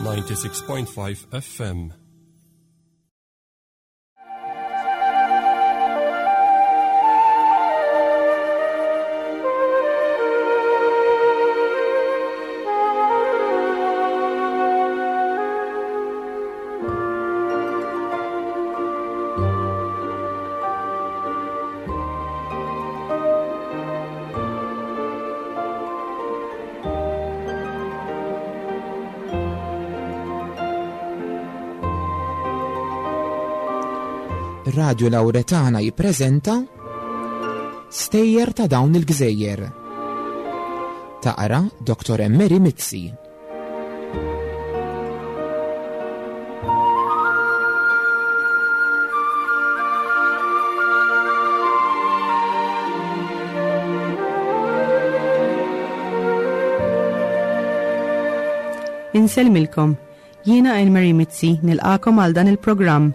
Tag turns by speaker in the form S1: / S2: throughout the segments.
S1: 96.5 FM.
S2: Radio Lauretana jippreżenta Stejjer ta' dawn il-gżejjer. Taqra Dr. Emery Mizzi.
S3: Insellmilkom, jiena Anne-Marie Mizzi nilqakom għal dan il-programm.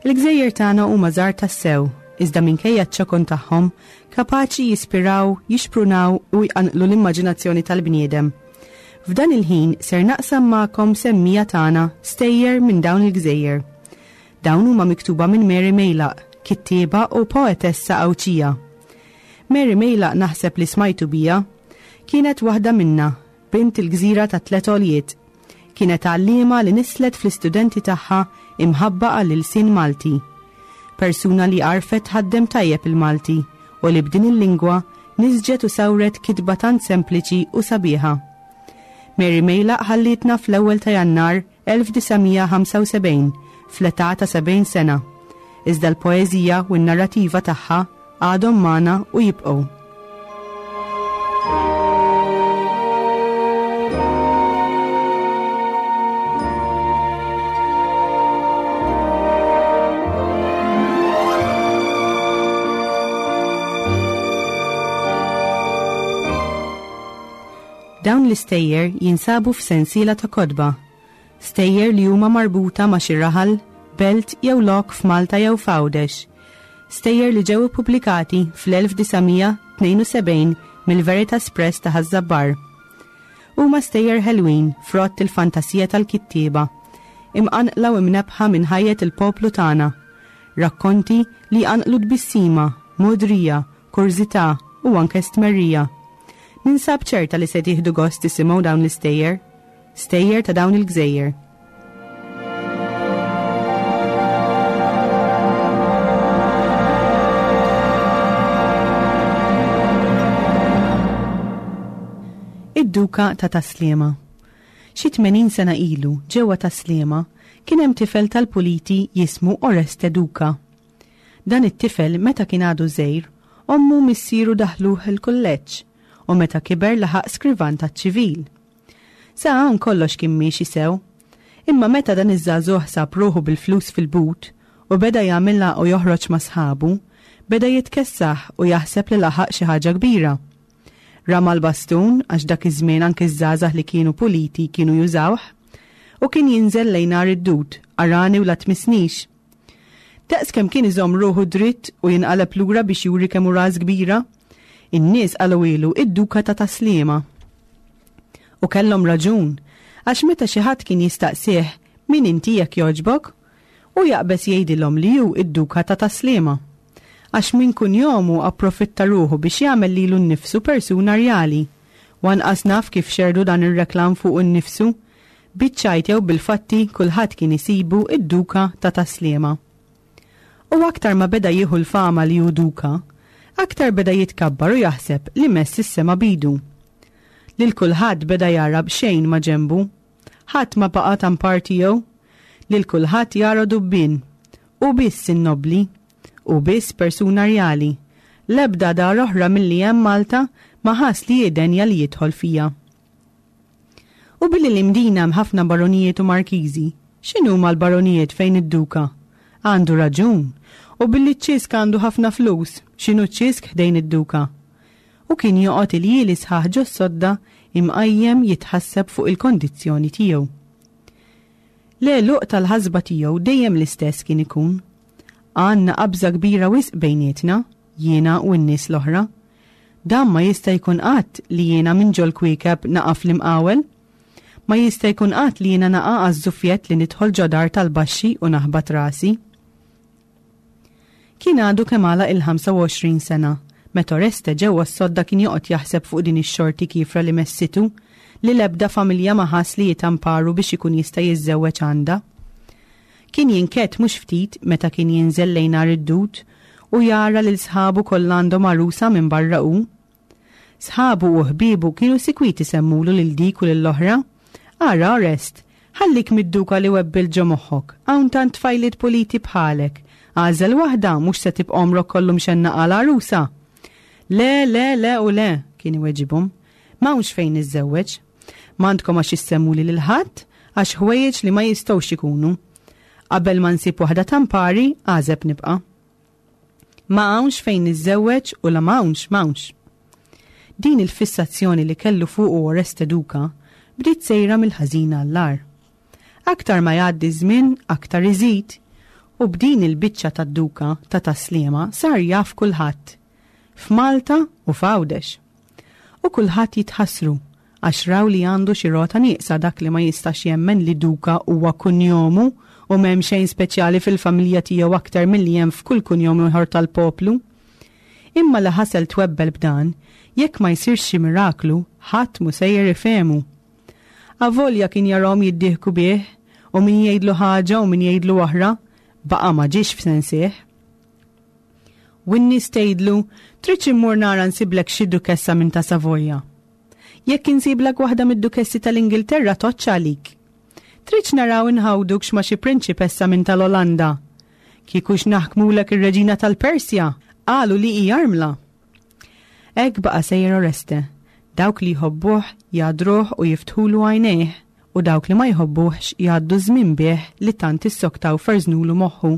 S3: Il-gżejjer tagħna huma żgħar tassew, iżda minkejja ċ-ċokon tagħhom, kapaċi jispiraw, jixprunaw u jqanqlu l-immaġinazzjoni tal-bniedem. F'dan il-ħin ser naqsam magħkom semmija tagħna stejjer minn dawn il-gżejjer. Dawn huma miktuba minn Mary Mejlaq, kittieba u poetessa Għawdxija. Mary Mejlaq naħseb li smajtu bija. Kienet waħda minna, bint il-gżira tat-tlet għoljiet. Kienet għalliema li nisslet fl-istudenti tagħha imħabba għall-ilsien Malti. Persuna li għarfet tħaddem tajjeb il-Malti u li b'din il-lingwa nisġet u sawret kitba tant sempliċi u sabiħa. Mary Mejlaq ħallietna fl-ewwel ta' Jannar 1975 fl-età ta' 70 sena, iżda l-poeżija u n-narrativa tagħha għadhom magħna u jibqgħu. Dawn l-istejjer jinsabu f'sensiela ta' kotba, stejjer li huma marbuta ma' xi raħal, belt jew lok f'Malta jew f'Għawdex, stejjer li ġew ippubblikati fl-1972 mill-Veritas Press ta' Ħaż-Żabbar. Huma stejjer ħelwin frott il-fantasija tal-kittieba, imqanqla u imnebbħa minn ħajjet il-poplu tagħna, Rakkonti li jqanqlu tbissima, mogħdrija, kurżità u anke stmerrija. Ninsab ċerta li se tieħdu gost tisimgħu dawn l-istejjer. Stejjer ta' dawn il-gżejjer. Id-Duka ta' Tas-Sliema. Xi 80 sena ilu, ġewwa Tas-Sliema, kien hemm tifel tal-puliti jismu Oreste Duca. Dan it-tifel meta kien għadu żgħir, ommu u missieru daħħluh il-kulleġġ u meta kiber laħaq skrivan taċ-ċivil. Sa hawn kollox kien miexi sew. Imma meta dan iż-żagħżugħ sab ruħu bil-flus fil-but u beda jagħmilha u joħroġ ma' sħabu, beda jitkessaħ u jaħseb li laħaq xi ħaġa kbira. Rama l-bastun, għax dak iż-żmien anki ż-żgħażagħ li kienu puliti kienu jużawh, u kien jinżel lejn Għar id-Dud, arani u la tmissnix. Daqs kemm kien iżomm ruħu dritt u jinqaleb lura biex juri kemm hu ras kbira, in-nies qalgħuhielu id-Duka ta' Tas-Sliema. U kellhom raġun, għax meta xi ħadd kien jistaqsih min inti jekk jogħġbok, hu jaqbeż jgħidilhom li hu id-Duka ta' Tas-Sliema. Għax minn kunjomu approfitta ruħu biex jagħmel lilu nnifsu persuna rjali. U anqas naf kif xerrdu dan ir-reklam fuqu nnifsu. Biċ-ċajt jew bil-fatti kulħadd kien isibu d-Duka ta' Tas-Sliema. U aktar ma beda jieħu l-fama li hu Duka, aktar beda jitkabbar u jaħseb li mess is-sema b'idu. Lil kulħadd beda jara b'xejn ma' ġenbu. Ħadd ma baqa' tampar tiegħu. Lil kulħadd jara dubbien. Hu biss in-nobbli. Hu biss persuna rjali. L-ebda dar oħra milli hemm Malta ma ħass li hi denja li jidħol fiha. U billi l-Imdina hemm ħafna baronijiet u markiżi, x'inhuma l-baronijiet fejn id-duka? Għandu raġun. U billi ċ-Ċisk għandu ħafna flus, x'inhu ċ-Ċisk ħdejn id-duka? U kien joqgħod iljieli sħaħ ġos-sodda imqajjem jitħasseb fuq il-kondizzjoni tiegħu. L-għeluq tal-ħasba tiegħu dejjem l-istess kien ikun. Għandna qabża kbira wisq bejnietna, jiena u n-nies l-oħra. Dan ma jista' jkun qatt li jiena minn ġol-kwiekeb naqa' fl-imqawel. Ma jista' jkun qatt li jiena naqa' għaż-żufjett li nidħol ġo dar tal-baxxi u naħbat rasi. Kien għadu kemm għalaq il-25 sena, meta Oreste ġewwa s-sodda kien joqgħod jaħseb fuq din ix-xorti kiefra li messitu, li l-ebda familja ma ħass li hi tamparu biex ikun jista' jiżżewweġ għandha. Kien jinkedd mhux ftit meta kien jinżel lejn Għar id-Dud u jara lil sħabu kollha għandhom għarusa minbarra hu. Sħabu u ħbiebu kienu sikwit isemmulu lil dik u lill-oħra. Ara, Orest, ħallik mid-duka li webbilt ġo moħħok, hawn tant tfajliet puliti bħalek. Agħżel waħda, mhux se tibqa' għomrok kollu mxennaq għal għarusa. Le, le, le u le, kien iweġibhom. M'hawnx fejn niżżewweġ. M'għandkom għax issemmuli lil ħadd, għax ħwejjeġ li ma jistgħux ikunu. Qabel ma nsib waħda tampari, għażeb nibqa'. Ma hawnx fejn niżżewweġ u la m'hawnx, m'hawnx. Din il-fissazzjoni li kellu fuqu Oreste Duca bdiet sejra mill-ħażin għall-agħar. Aktar ma jgħaddi ż-żmien, aktar iżid. U b'din il-biċċa tad-Duka ta' Tas-Sliema sar jaf kulħadd. F'Malta u f'Għawdex. U kulħadd jitħassru għax raw li għandu xi rota nieqsa dak li ma jistax jemmen li Duka huwa kunjomu u m'hemm xejn speċjali fil-familja tiegħu aktar milli hemm f'kull kunjom ieħor tal-poplu. Imma li ħasel twebbel b'dan, jekk ma jsirx xi miraklu, ħadd mhu sejjer ifehmu. Avolja kien jarahom jiddieħku bih, u min jgħidlu ħaġa u min jgħidlu oħra, baqa' ma ġiex f'sensih. U n-nies tgħidlu, Tridx immur nara nsiblek xi dukessa minn ta' Savoja? Jekk insiblek waħda mid-dukessi tal-Ingilterra tgħoddx għalik. Tridx naraw inħawdukx ma' xi prinċipessa minn tal-Olanda? Kieku x'naħkmulek ir-reġina tal-Persja, qalu li hi armla. Hekk baqa' sejjer Oreste, dawk li jħobbuh jagħdruh u jiftħulu għajnejh, u dawk li ma jħobbuhx jgħaddu ż-żmien bih li tant issoktaw ferżnulu moħħu.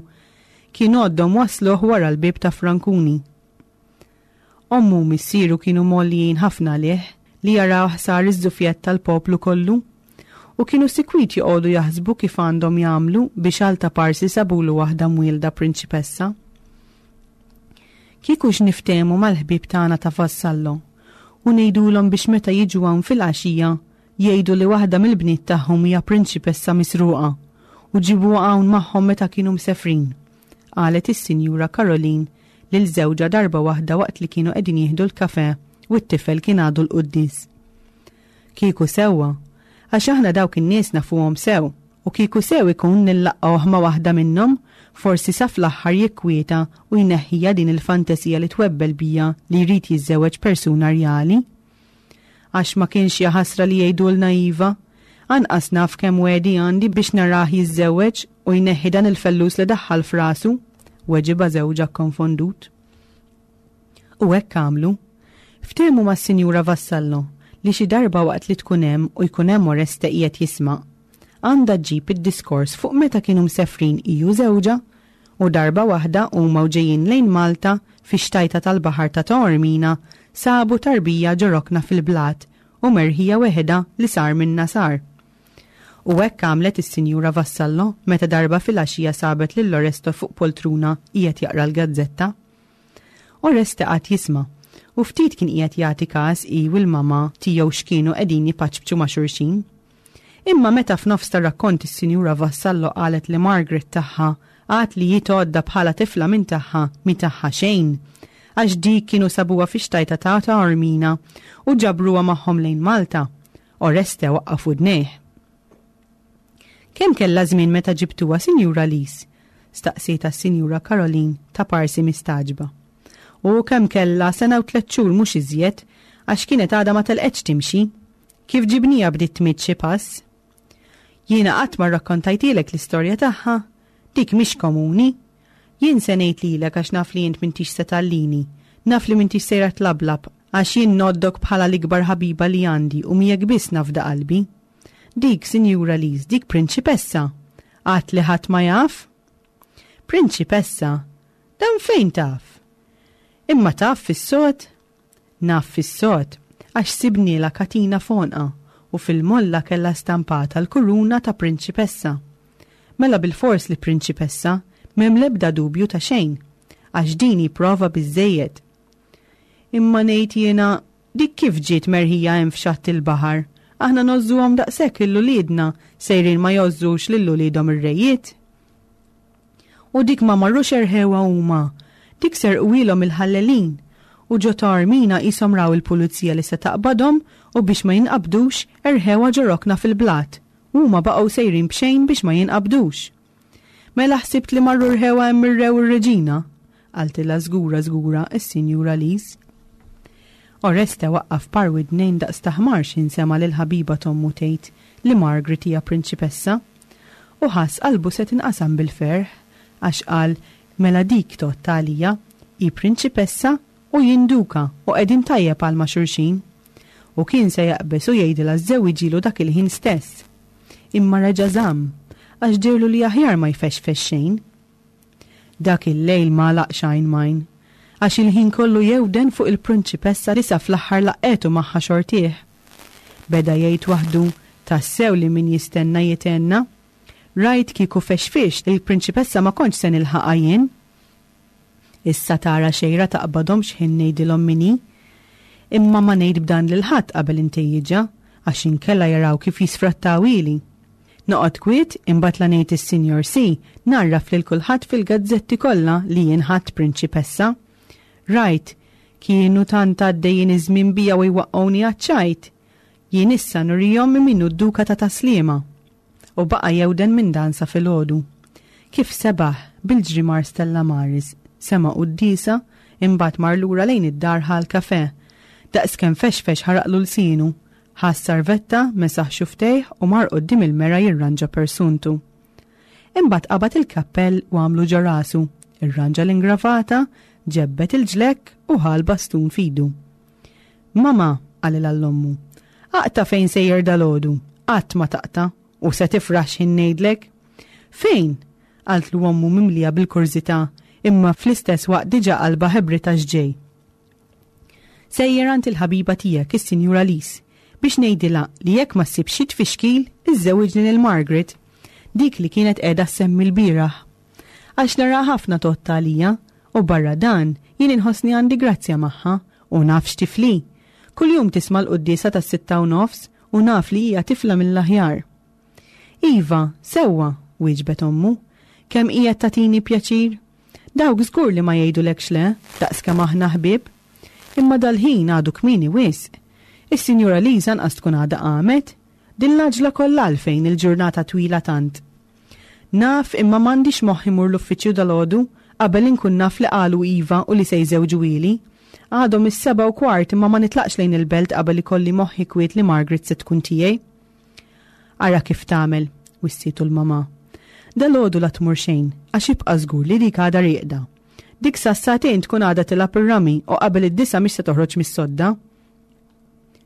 S3: Kien għoddhom wassluh wara l-bieb ta' Frankuni. Ommu u missieru kienu mgħollijin ħafna għalih li jarawh sar iż-żufjett tal-poplu kollu. U kienu sikwit joqogħdu jaħsbu kif għandhom jagħmlu biex għal ta' parsi sabulu waħda mwielda prinċipessa. Kieku x'niftehmu mal-ħbieb tagħna ta' Vassallo u ngħidulhom biex meta jiġu hawn filgħaxija jgħidu li waħda mill-bniet tagħhom hija prinċipessa misruqa u ġibuha hawn magħhom meta kienu msefrin, qalet is-Sinjura Caroline lil żewġha darba waħda waqt li kienu qegħdin jieħdu l-kafè u t-tifel kien għadu l-quddies. Kieku sewwa, għax aħna dawk in-nies nafuhom sew, u kieku sew ikun nillaqgħuh ma' waħda minnhom, forsi sa fl-aħħar jikkwieta u jneħħiha din il-fantesija li twebbel bija li jrid jiżżewweġ persuna rjali. Għax ma kienx jaħasra li jgħidulna iva. Anqas naf kemm wegħdi għandi biex narah jiżżewweġ u jneħħi dan il-fellus li daħħal f'rasu, weġibha żewġha kkonfondut. U hekk għamlu. Ftehmu mas-Sinjura Vassallo li xi darba waqt li tkun hemm u jkun hemm Oreste qiegħed jisma', għandha ġġib id-diskors fuq meta kienu msefrin hi u żewġha U darba waħda huma u ġejjin lejn Malta, fix-xtajta tal-baħar ta' Taormina, sabu tarbija ġo rokna fil-blat u merħija weħidha li sar minnha sar. U hekk għamlet is-Sinjura Vassallo meta darba filgħaxija sabet lil Oresto fuq poltruna qiegħed jaqra l-gazzetta. Oreste qagħad jisma', u ftit kien qiegħed jagħti każ hi u l-mamà tiegħu x'kienu qegħdin jpaċpċu ma' xulxin. Imma meta f'nofs tar-rakkont is-Sinjura Vassallo qalet li Margaret tagħha għad li hi tgħoddha bħala tifla minn tagħha mhi tagħha xejn, għax dik kienu sabuha fix-xtajta ta' Taormina u ġabruha magħhom lejn Malta, Oreste waqqaf widnejh. Kemm kellha żmien meta ġibtuha, Sinjura Lise? staqsietha s-Sinjura Caroline ta' parsi mistagħġba. U kemm kellha, sena u tlett xhur mhux iżjed, għax kienet għadha ma telqetx timxi. Kif ġibnieha bdiet tmidd xi pass. Jiena qatt ma rrakkontajtilek l-istorja tagħha. Dik mhix komuni. Jien se ngħid lilek għax naf li int m'intix se tgħallini. Naf li m'intix sejra tlablab, għax jien ngħoddok bħala l-ikbar ħabiba li għandi u miegħek biss nafda qalbi. Dik, Sinjura Lise, dik prinċipessa. Għad li ħadd ma jaf? Prinċipessa? Dan fejn taf? Imma taf fis-sod? Naf fis-sod, għax sibnielha katina f'għonqha u fil-molla kellha stampata l-kuruna ta' prinċipessa. Mela bilfors li prinċipessa, m'hemm l-ebda dubju ta' xejn, għax din hi prova biżżejjed. Imma ngħid jiena, dik kif ġiet merħija hemm f'xatt il-baħar? Aħna ngħożżuhom daqshekk lil uliedna, sejrin ma jgħożżux lil uliedhom ir-rejiet? U dik ma marrux erħewha huma, dik serquhielhom il-ħallelin. U ġo Taormina qishom raw il-pulizija li se taqbadhom u biex ma jinqabdux, erħewha ġo rokna fil-blat. U huma baqgħu sejrin b'xejn biex ma jinqabdux. Mela ħsibt li marru rħewha hemm ir-re u r-reġina? qaltilha żgura żgura s-Sinjura Lise. Oreste waqqaf par widnejn daqs ta' ħmar x'ħin sema' lill-ħabiba t'ommu tgħid li Margaret hija prinċipessa. U ħass qalbu se tinqasam bil-ferħ, għax qal, Mela dik tgħodd għalija, hi prinċipessa u jien duka u qegħdin tajjeb għal ma' xulxin. U kien se jaqbeż u jgħidilha żżewwiġilu dak il-ħin stess. Imma reġa' żamm, għax dehrlu li aħjar ma jfexfex xejn. Dak il-lejl m'għalaqx għajn m'għajn, għax il-ħin kollu jewden fuq il-prinċipessa li sa fl-aħħar laqqgħetu magħha xortih. Beda jgħid waħdu, Tassew li min jistenna jithenna. Rajt kieku fexfixt, il-prinċipessa ma kontx se nilħaqha jien. Issa tara xejra taqbadhom x'ħin ngħidilhom min hi. Imma ma ngħid b'dan lil ħadd qabel intejjiġha, għax inkella jaraw kif jisfrattawhieli. Noqgħod kwiet, imbagħad la ngħid is-Sinjor C, ngħarraf lil kulħadd fil-gazzetti kollha li jien ħadt prinċipessa. Rajt, kienu tant għaddejjin iż-żmien bija u jwaqqgħuni għaċ-ċajt. Jien issa nurihom min hu d-Duka ta' Tas-Sliema. U baqa' jewden minn dan sa filgħodu. Kif sebaħ, bil-ġri mar Stella Maris, sema' quddiesa, imbagħad mar lura lejn id-dar ħa l-kafè. Daqskemm fexfex ħaraqlu lsienu. Ħa s-sarvetta, mesaħ xufftejh u mar quddiem il-mera jirranġa persuntu. Imbagħad qabad il-kappell u għamlu ġo rasu, irranġa l-ingravata, ġebbed il-ġlekk u ħa l-bastun f'idu. Mama, qalilha l-ommu, aqta' fejn sejjer dalgħodu, qatt ma taqta' u se tifraħ x'ħin ngħidlek. Fejn? qaltlu ommu mimlija bil-kurżità imma fl-istess waqt diġà qalbha ħebritha x'ġej. Sejjer għand il-ħabiba tiegħek, is-Sinjura Lise, biex ngħidilha li jekk ma ssibx xi tfixkil, iżżewwiġni lil Margaret, dik li kienet qiegħda ssemmi lbieraħ. Għax naraha ħafna tgħodd għalija, u barra dan, jien inħossni għandi grazzja magħha, u naf x'tifli. Kuljum tisma' l-quddiesa tas-6:30 u naf li hija tifla mill-aħjar. Iva, sewwa, wieġbet ommu. Kemm qiegħed tagħtini pjaċir! Dawk żgur li ma jgħidulekx le, daqskemm aħna ħbieb. Imma dal-ħin għadu kmieni wisq. Is-Sinjura Lisa anqas tkun għadha qamet. Din l-għaġla kollha għalfejn il-ġurnata twila tant? Naf imma m'għandix moħħ imur l-uffiċċju dalgħodu qabel inkun naf li qalu iva u li se jżewġuhieli. Għadhom is-7:15 imma ma nitlaqx lejn il-belt qabel ikolli moħħi kwiet li Margaret se tkun tiegħi. Ara kif tagħmel, wissietu l-mamà. Dalgħodu la tmur xejn, għax ibqa' żgur li dik għadha rieqda. Dik sas-sagħtejn tkun għadha tilgħab ir-rami u qabel id-disgħa mhix se toħroġ mis-sodda.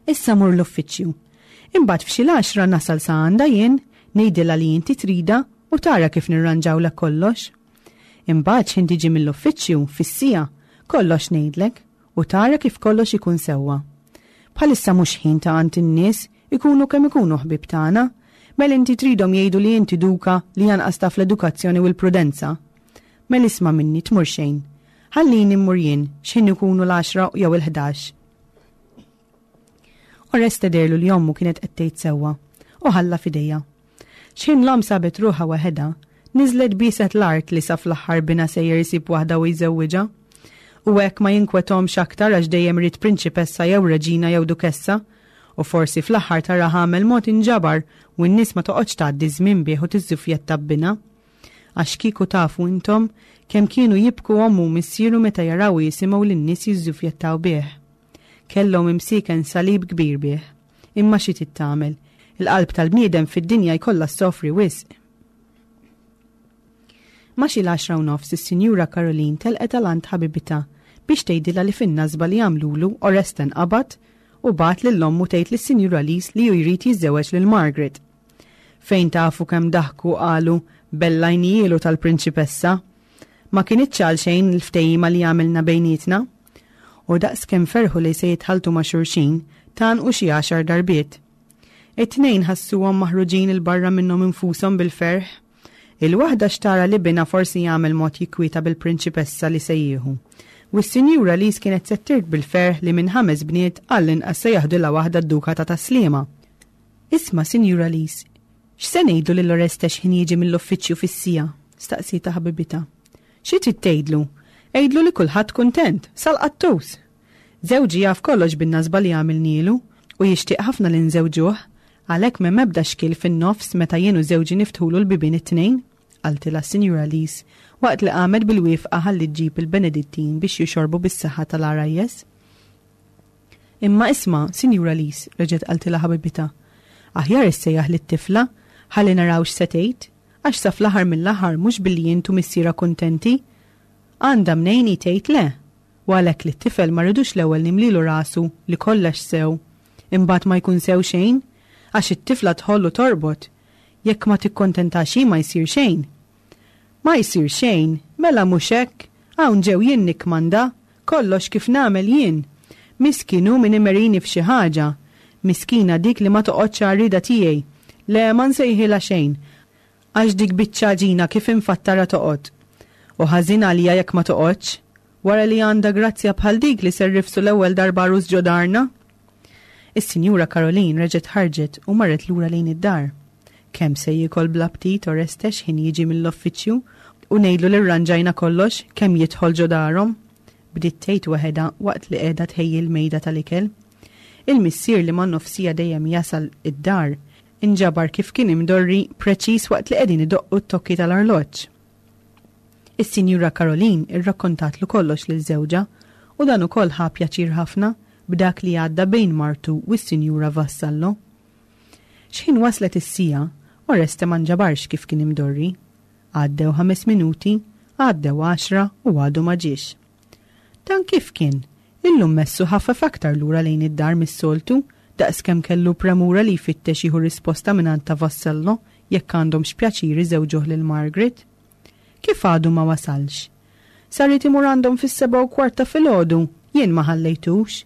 S3: Issa mur l-uffiċċju. Imbagħad f'xi l-għaxra nasal sa għandha jien, ngħidilha li inti tridha u tara kif nirranġawlek kollox. Imbagħad x'ħin tiġi mill-uffiċċju, fis-siegħa, kollox ngħidlek u tara kif kollox ikun sewwa. Bħalissa mhux ħin ta' għand in-nies, ikunu kemm ikunu ħbieb tagħna. Mela inti tridhom jgħidu li inti duka li anqas taf l-edukazzjoni u l-prudenza. Mela isma' minni tmur xejn. Ħallini mmur jien x'ħin ikunu l-għaxra jew il-ħdax. Oreste dehrlu li ommu kienet qed tgħid sewwa u ħalla f'idejha. X'ħin l-omm sabet ruħha waħedha, niżlet bieset l-art li sa fl-aħħar binha sejjer isib waħda u jżewwiġha. U hekk ma jinkwethomx aktar għax dejjem ried prinċipessa jew reġina jew dukessa. U forsi fl-aħħar taraha għamel mod inġabar u n-nies ma toqgħodx tgħaddi ż-żmien bih u tiżżufjetta b'binha. Għax kieku tafu intom kemm kienu jibku ommu u missieru meta jaraw u jisimgħu lin-nies jiżżufjettaw bih. Kellhom imsieken salib kbir bih. Imma xi trid tagħmel? Il-qalb tal-bniedem fid-dinja jkollha ssofri wisq. Ma' xi l-għaxra u nofs is-Sinjura Caroline telqet għal għand ħabibitha biex tgħidilha li fin-nasba li għamlulu Oreste nqabad u bagħat lil ommu tgħid lis-Sinjura Lise li hu jrid jiżżewweġ lil Margaret. Fejn tafu kemm daħku qalu bellajnijielu tal-prinċipessa. Ma kinitx għalxejn il-ftehima li għamilna bejnietna. U daqs kemm ferħu li se jitħalltu ma' xulxin, tgħannqu xi għaxar darbiet. It-tnejn ħassuhom maħruġin 'il barra minnhom infushom bil-ferħ. Il-waħda xtara li binha forsi jagħmel mod jikkwieta bil-prinċipessa li se jieħu. U s-Sinjura Lise kienet se ttirt bil-ferħ li minn ħames bniet għall-inqas se jaħdilha waħda d-Duka ta' Tas-Sliema. Isma', Sinjura Lise, x'se ngħidlu lil Oreste x'ħin jiġi mill-uffiċċju fis-siegħa? staqsietha ħabibitha. Xi trid tgħidlu? Għidlu li kulħadd kuntent, sal-qattus! Żewġi jaf kollox bin-nasba li għamilnielu u jixtieq ħafna li nżewġuh, għalhekk m'hemm ebda xkiel fin-nofs meta jien u żewġi niftħulu l-bibien it-tnejn, qaltilha s-Sinjura Lise waqt li qamet bil-wifqa ħalli ġġib il-Benedittin biex jixorbu bis-saħħa tal-għarajjes. Imma isma', Sinjura Lise, reġgħet qaltilha ħabibitha, aħjar issejjaħ lit-tifla ħalli naraw x'se tgħid, għax sa fl-aħħar mill-aħħar mhux billi int u missierha kuntenti. Għandha mnejn hi tgħid le. U għalhekk lit-tifel ma rridux l-ewwel nimlilu rasu li kollex sew, imbagħad ma jkun sew xejn, għax it-tifla tħoll u torbot. Jekk ma tikkontentax hi ma jsir xejn. Ma jsir xejn, mela mhux hekk, hawn ġew jien nikkmanda, kollox kif nagħmel jien. Miskin hu min imerini f'xi ħaġa. Miskina dik li ma toqgħodx għar-rieda tiegħi. Le, ma nsejħilha xejn, għax dik biċċa għaġina kif infattarha toqgħod. U ħażin għalija jekk ma toqgħodx, wara li għandha grazzja bħal dik li ser rifsu l-ewwel darba għarus ġo darna. Is-Sinjura Caroline reġgħet ħarġet u marret lura lejn id-dar. Kemm se jiekol bl-aptit Oreste x'ħin jiġi mill-uffiċċju u ngħidlu li rranġajna kollox kemm jidħol ġo darhom? Bdiet tgħid waħedha waqt li qiegħda tħejji l-mejda tal-ikel. Il-missier li man-nofsija dejjem jasal id-dar inġabar kif kien imdorri preċiż waqt li qegħdin idoqqu t-tokki tal-arloġġ. Is-Sinjura Caroline irrakkontatlu kollox lil żewġha u dan ukoll ħa pjaċir ħafna b'dak li għadda bejn martu u s-Sinjura Vassallo. X'ħin waslet is-siegħa, Oreste ma nġabarx kif kien imdorri. Għaddew ħames minuti, għaddew għaxra u għadu ma ġiex. Dan kif kien? Illum messu ħafef aktar lura lejn id-dar mis-soltu, daqskemm kellu premura li jfittex jieħu risposta mingħand ta' Vassallo jekk għandhomx pjaċir iżewġuh lil Margaret. Kif għadu ma wasalx? Sa ried imur għandhom fis-7:15 ta' filgħodu, jien ma ħallejtux.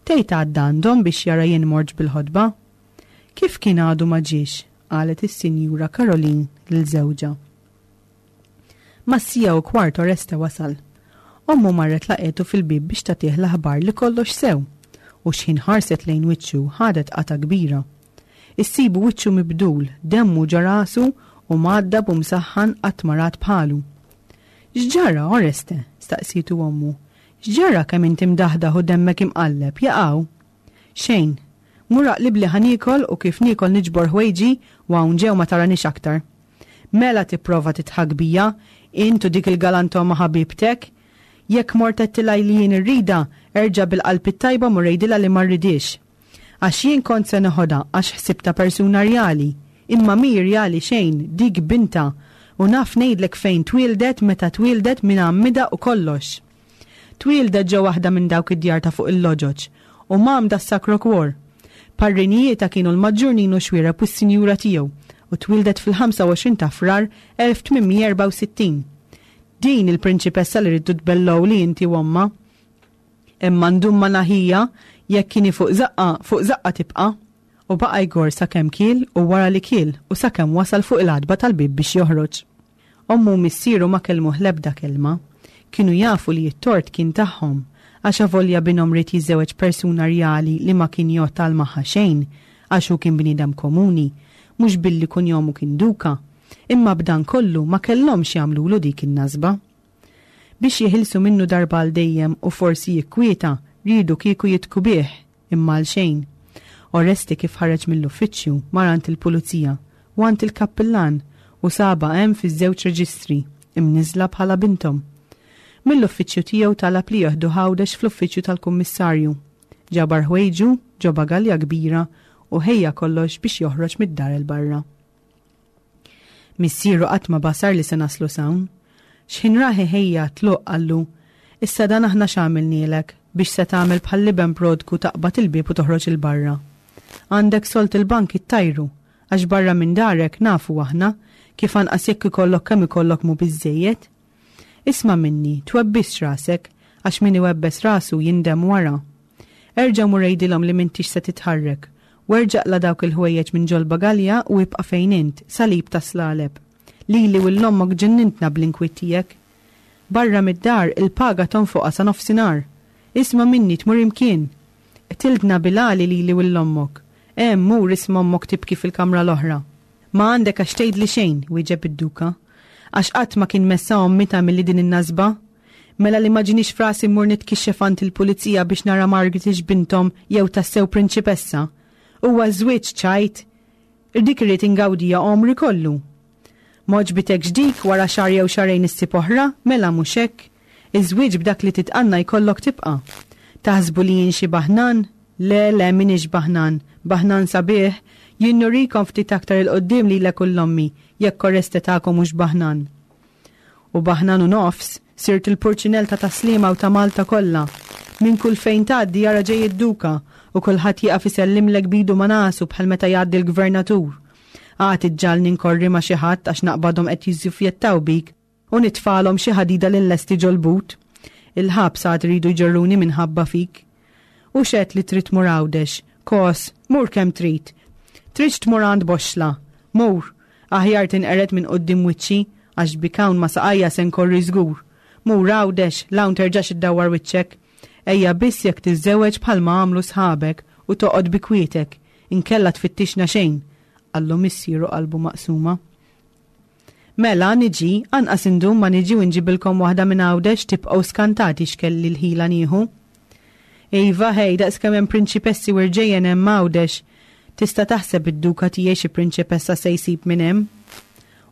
S3: Tgħid għadda għandhom biex jara jien mortx bil-ħotba? Kif kien għadu ma ġiex? qalet is-Sinjura Caroline lil żewġha. Mas-siegħa u kwart Oreste wasal. Ommu marret laqgħetu fil-bieb biex tagħtih l-aħbar li kollox sew, u xħin ħarset lejn wiċċu ħadet qatgħa kbira. Issibu wiċċu mibdul, demmu ġo rasu u mgħaddab u msaħħan qatt ma rat bħalu. X'ġara, Oreste? staqsietu ommu. X'ġara kemm inti mdaħdaħ u demmek imqalleb, jaqaw? Xejn. Mur aqlibli ħa niekol u kif niekol niġbor ħwejġi u hawn ġew ma taranix aktar. Mela tipprova tidħak bija, int u dik il-galantoma ħabibtek? Jekk mort għedtilha li jien irridha, erġa' bil-qalb it-tajba mur għidilha li ma rridhiex. Għax jien kont se neħodha għax ħsibtha persuna rjali. Imma mhi rjali xejn, dik bintha. U naf ngħidlek fejn twieldet, meta twieldet, min għammidha u kollox. Twieldet ġo waħda minn dawk id-djar ta' fuq il-loġoġ u mgħammda s-Sacro Cuor. Parrinijietha kienu l-Maġġur Ninu Xuereb u s-Sinjura tiegħu u twieldet fil-25 ta' Frar 1864. Din il-prinċipessa li ridtu tbellgħuli inti u ommha. Imma ndum ma naħija, jekk inhi fuq żaqqa, fuq żaqqa tibqa'. U baqa' jgorr sakemm kiel u wara li kiel u sakemm wasal fuq il-għatba tal-bieb biex joħroġ. Ommu u missieru ma kellmuh l-ebda kelma. Kienu jafu li t-tort kien tagħhom, għax avolja binhom ried jiżżewweġ persuna rjali li ma kien jgħodd għal magħha xejn, għax hu kien bniedem komuni, mhux billi kunjomu kien duka. Imma b'dan kollu ma kellhomx jagħmlulu dik in-nasba. Biex jeħilsu minnu darba għal dejjem u forsi jikkwieta, riedu kieku jidhku bih, imma għalxejn. Oreste kif ħareġ mill-uffiċċju, mar għand il-pulizija u għand il-kappillan u sabha hemm fiż-żewġ reġistri, imniżżla bħala binthom. Mill-uffiċċju tiegħu talab li jeħduh Għawdex fl-uffiċċju tal-kummissarju. Ġabar ħwejġu ġo bagalja kbira u ħejja kollox biex joħroġ mid-dar 'il barra. Missieru qatt ma basar li se naslu s'hawn. X'ħin rah iħejja għat-tluq qallu, Issa dan aħna x'għamilnielek biex se tagħmel bħall-iben prodku taqbad il-bieb u toħroġ 'il barra? Għandek sold il-bank ittajru, għax barra minn darek nafu aħna kif anqas jekk ikollok kemm ikollok mhu biżżejjed. Isma' minni, twebbisx rasek, għax min iwebbes rasu jindem wara. Erġa' mur għidilhom li m'intix se titħarrek, u erġa' qla' dawk il-ħwejjeġ minn ġol-bagalja u ibqa' fejn int, salib tas-slaleb. Lili u 'l ommok ġennintna bl-inkwiet tiegħek. Barra mid-dar il-paga tonfoqha sa nofsinhar. Isma' minni tmur imkien. Qtiltna bil-għali lili u 'l ommok. Hemm mur isma' ommok tibki fil-kamra l-oħra. Ma għandek għax tgħidli xejn, wieġeb id-Duka. Għax qatt ma kien messha ommi tagħmilli din in-nasba. Mela li ma ġiniex f'rasi mmur nitkixxef għand il-pulizija biex nara Margaret hix binthom jew tassew prinċipessa. Huwa ż-żwieġ ċajt? Dik irrid ingawdiha għomri kollu. M'għoġbitekx dik, wara xahar jew xahrejn issib oħra, mela mhux hekk? Iż-żwieġ b'dak li titqanna jkollok tibqa'. Taħsbu li jien xi baħnan? Le, le, m'iniex baħnan. Baħnan sabiħ? Jien nurikom ftit aktar 'il quddiem lilek u 'l ommi, jekk Oreste tagħkom hux baħnan. U baħnan u nofs, sirt il-purċinell ta' Tas-Sliema u ta' Malta kollha. Minn kull fejn tgħaddi ara ġej id-Duka, u kulħadd jieqaf isellimlek b'idu ma' nasu bħal meta jgħaddi l-Gvernatur. Għad iġġagħalni nkorri ma' xi ħadd għax naqbadhom qed jiżżuffjettaw bik u nitfagħlhom xi ħadida li nlesti ġol-but. Il-ħabs għad iridu jġorruni minħabba fik. U x'għedt li trid tmur Għawdex? Kos, mur kemm trid. Tridx tmur għand Boxxla? Mur. Aħjar tinqered minn quddiem wiċċi, għax bik hawn ma' saqajja se nkorri żgur. Mur Għawdex, 'l hawn terġax iddawwar wiċċek. Ejja biss jekk tiżżewweġ bħalma għamlu sħabek u toqgħod bi kwietek, inkella tfittixna xejn, qallu missieru qalbu maqsuma. Mela, niġi, anqas indum ma niġi u nġibilkom waħda minn Għawdex tibqgħu skantati x'kelli l-ħila nieħu. Iva, ħej, daqskemm hemm prinċipessi u rġejjen hemm Għawdex. Tista' taħseb id-duka tiegħi xi prinċipessa se jsib minn hemm.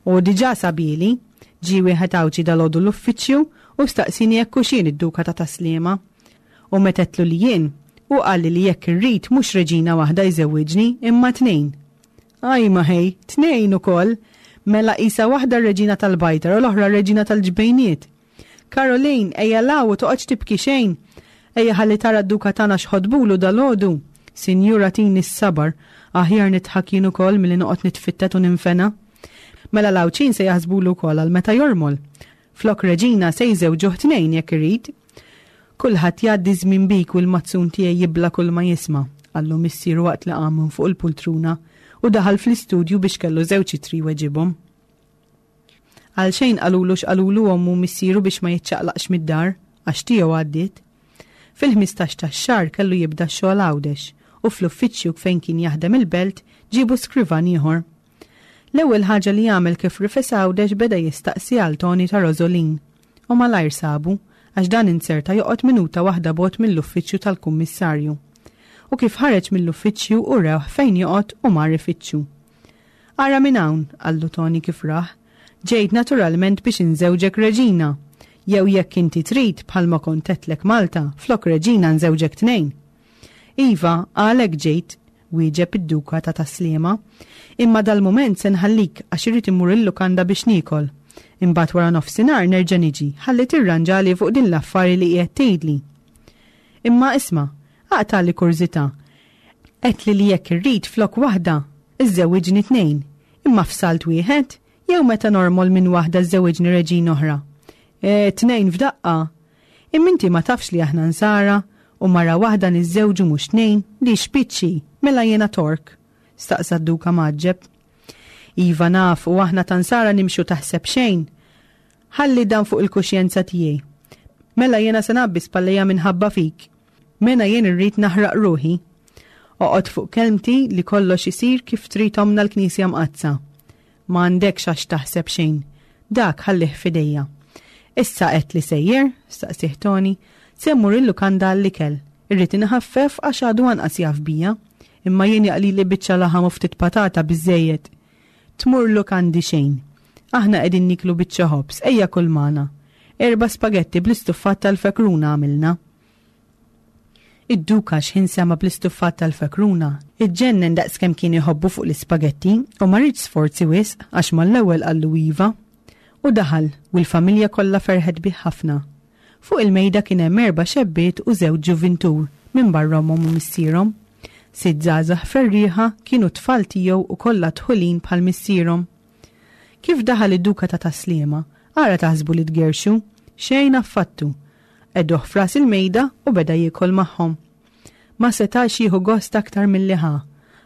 S3: U diġà sabieli. Ġie wieħed Għawdxi dalgħodu l-uffiċċju u staqsieni jekk hux jien id-duka ta' Tas-Sliema. U meta għedtlu li jien, hu qalli li jekk irrid mhux reġina waħda jżewwiġni imma tnejn. Ajma ħej, tnejn ukoll! Mela qisha waħda r-reġina tal-bajtar u l-oħra r-reġina tal-ġbejniet. Caroline, ejja 'l hawn u toqgħodx tibki xejn! Ejja ħalli tara d-duka tagħna x'ħotbulu dalgħodu! Sinjur agħtini s-sabar, aħjar nidħak jien ukoll milli noqgħod nitfittet u ninfena. Mela l-Għawdxin se jaħsbulu wkoll għal meta jormol. Flok reġina se jżewġuh tnejn jekk irid. Kulħadd jgħaddi ż-żmien bik u l-mazzun tiegħi jibla' kulma jisma', qallu missieru waqt li qam minn fuq il-pultruna u daħal fl-istudju biex kellu żewġ ittri jweġibhom. Għalxejn qalulu x'qalulu ommu u missieru biex ma jiċċaqlaqx mid-dar, għax tiegħu għaddiet. Fil-ħmistax tax-xahar kellu jibda x-xogħol Għawdex u fl-uffiċċju fejn kien jaħdem il-Belt ġiebu skrivan ieħor. L-ewwel ħaġa li għamel kif rifes Għawdex beda jistaqsi għal Toni ta' Rosolin. U malajr sabu, għax dan inzerta joqgħod minuta waħda bogħod mill-uffiċċju tal-kummissarju. U kif ħareġ mill-uffiċċju urewh fejn joqgħod u mar ifittxu. Ara minn hawn, qallu Toni kif rah, ġejt naturalment biex inżewġek reġina. Jew jekk inti trid, bħalma kont għedtlek Malta, flok reġina nżewġek tnejn. Iva, għalhekk ġejt, wieġeb id-Duka ta' Tas-Sliema. Imma dal-mument se nħallik għax irrid immur il-lukanda biex niekol. Imbagħad wara nofsinhar nerġa' niġi ħalli tirranġali fuq din l-affari li qiegħed tgħidli. Imma isma', aqtagħli kurżità. Għedtli li jekk irrid flok waħda, iżżewwiġni tnejn. Imma f'salt wieħed? Jew meta normol minn waħda żżewwiġni reġina oħra? Eh, tnejn f'daqqa! Imma inti ma tafx li aħna Nsara u mara waħda niżżewġu mhux tnejn, li xpiċċi, mela jiena Tork? staqsa d-Duka mgħaġġeb. Iva naf u aħna ta' Nsara nimxu taħseb xejn. Ħalli dan fuq il-kuxjenza tiegħi. Mela jiena se ngħabbi spallejja minħabba fik. Mena jien irrid naħraq ruħi. Oqgħod fuq kelmti li kollox isir kif trid ommna l-Knisja Mqaddsa. Ma għandekx għax taħseb xejn. Dak ħallih f'idejja. Issa għedt li sejjer? staqsieh Toni. Se mmur il-lukanda għall-ikel. Irrid inħaffef għax għadu anqas jaf bija. Imma jien jaqlili biċċa laħam u ftit patata biżżejjed. Tmur lukandi xejn. Aħna qegħdin nieklu biċċa ħobż, ejja kul magħna. Erba' spagetti bl-istuffat tal-fekruna għamilna. Id-Duka x'ħin sema' bl-istuffat tal-fekruna, iġġennen daqskemm kien iħobbu fuq l-ispagetti u ma riedx sforzi wisq għax mal-ewwel qallu iva. U daħal, u l-familja kollha ferħet bih ħafna. Fuq il-mejda kien hemm erba' xebbiet u żewġ ġuvintur, minbarra ommhom u missierhom. Sitt żgħażagħ ferrieħa kienu t-tfal tiegħu u kollha dħulin bħal missierhom. Kif daħal id-Duka ta' Tas-Sliema, ara taħsbu li tgerrxu? Xejn affattu! Qegħduh f'ras il-mejda u beda jiekol magħhom. Ma setax jieħu gost aktar milli ħa,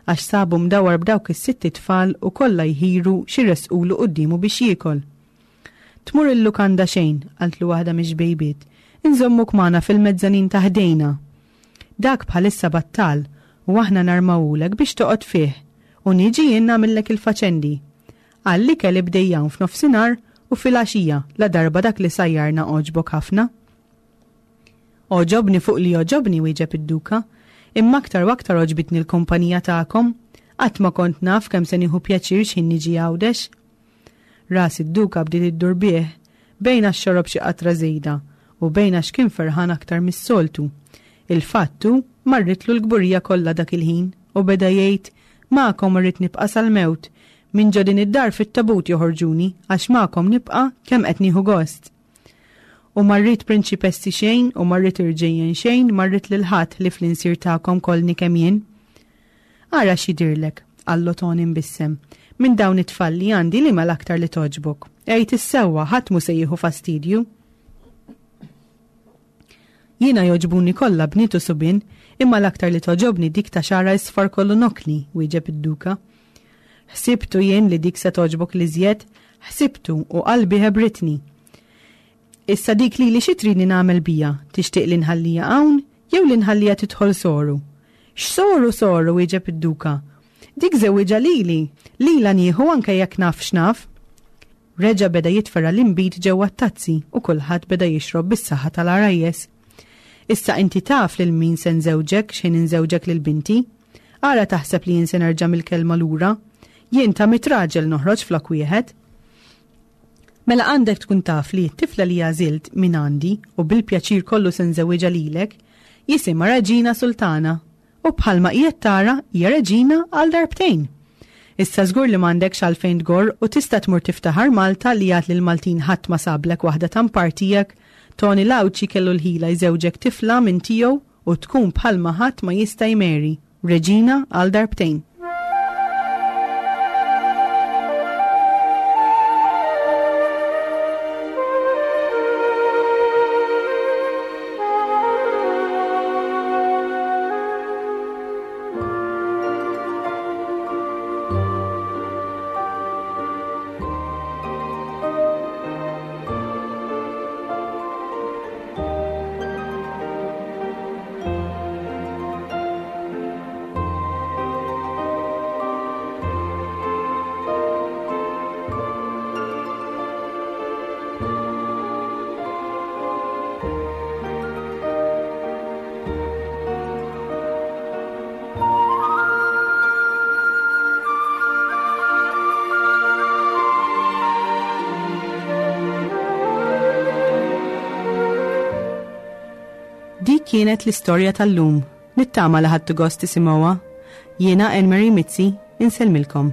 S3: għax sabu mdawwar b'dawk is-sitt itfal u kollha jħiru x'iressqulu quddiemu biex jiekol. Tmur il-lukanda xejn, qaltlu waħda mix-xbejbiet, inżommuk magħna fil-mezzanin ta' ħdejna. Dak bħalissa battal. u aħna narmawulek biex toqgħod fih u niġi jien nagħmillek il-faċendi. Għall-ikel ibdej hawn f'nofsinhar u filgħaxija ladarba dak li sajjarna għoġbok ħafna. Għoġobni fuq li għoġobni, wieġeb id-Duka, imma aktar u aktar għoġbitni l-kumpanija tagħkom. Qatt ma kont naf kemm se nieħu pjaċir x'ħin niġi Għawdex. Ras id-Duka bdiet iddur bih, bejn għax xorob xi qatra żejda u bejn għax kien ferħan aktar mis-soltu. Il-fatt hu, marritlu l-kburija kollha dak il-ħin u beda jgħid, Magħkom irrid nibqa' sal-mewt. Minn ġo din id-dar fit-tabut joħorġuni għax magħkom nibqa' kemm qed nieħu gost. U ma rrid prinċipessi xejn u ma rrid irġejjen xejn, ma rrid lil ħadd ħlief li nsir tagħkom kollni kemm jien. Ara x'jidhirlek, qallu Toni mbissem, minn dawn it-tfal li għandi liema l-aktar li togħġbok? Għid is-sewwa, ħadd mhu se jieħu fastidju. Jiena jogħġbuni kollha bniet u subien, imma l-aktar li togħġobni dik ta' xagħarha isfar kollu nokkli, wieġeb id-Duka. Ħsibtu jien li dik se togħġbok l-iżjed, ħsibtu u qalbi ħebritni. Issa dik lili xi tridni nagħmel bija, tixtieq li nħallija hawn jew li nħallija tidħol soru? X'soru soru, wieġeb id-Duka. Dik żewwiġha lili, lilha nieħu anke jekk naf x'naf. Reġa' beda jitferra' l-inbid ġewwa t-tazzi u kulħadd beda jixrob bis-saħħa tal-għarajjes. Issa inti taf lil min se nżewġek x'ħin inżewġek lil binti. Ara taħseb li jien se nerġa' mill-kelma lura. Jien ta' mitt raġel noħroġ flok wieħed. Mela għandek tkun taf li t-tifla li għażilt minn għandi u bil-pjaċir kollu se nżewwiġha lilek, jisimha Reġina Sultana U bħalma qiegħed tara, hija reġina għal darbtejn. Issa żgur li m'għandekx għalfejn tgorr u tista' tmur tiftaħar Malta li għad lill-Maltin ħadd ma sablek waħda ta' mpar tiegħek, Toni l-Għawdxi kellu l-ħila jżewġek tifla minn tiegħu u tkun bħalma ħadd ma jista' jmeri, reġina għal darbtejn. Dik kienet l-istorja tal-lum. Nittama li ħadtu gost tisimgħuha. Jiena Anne Marie Mizzi, insellmilkom.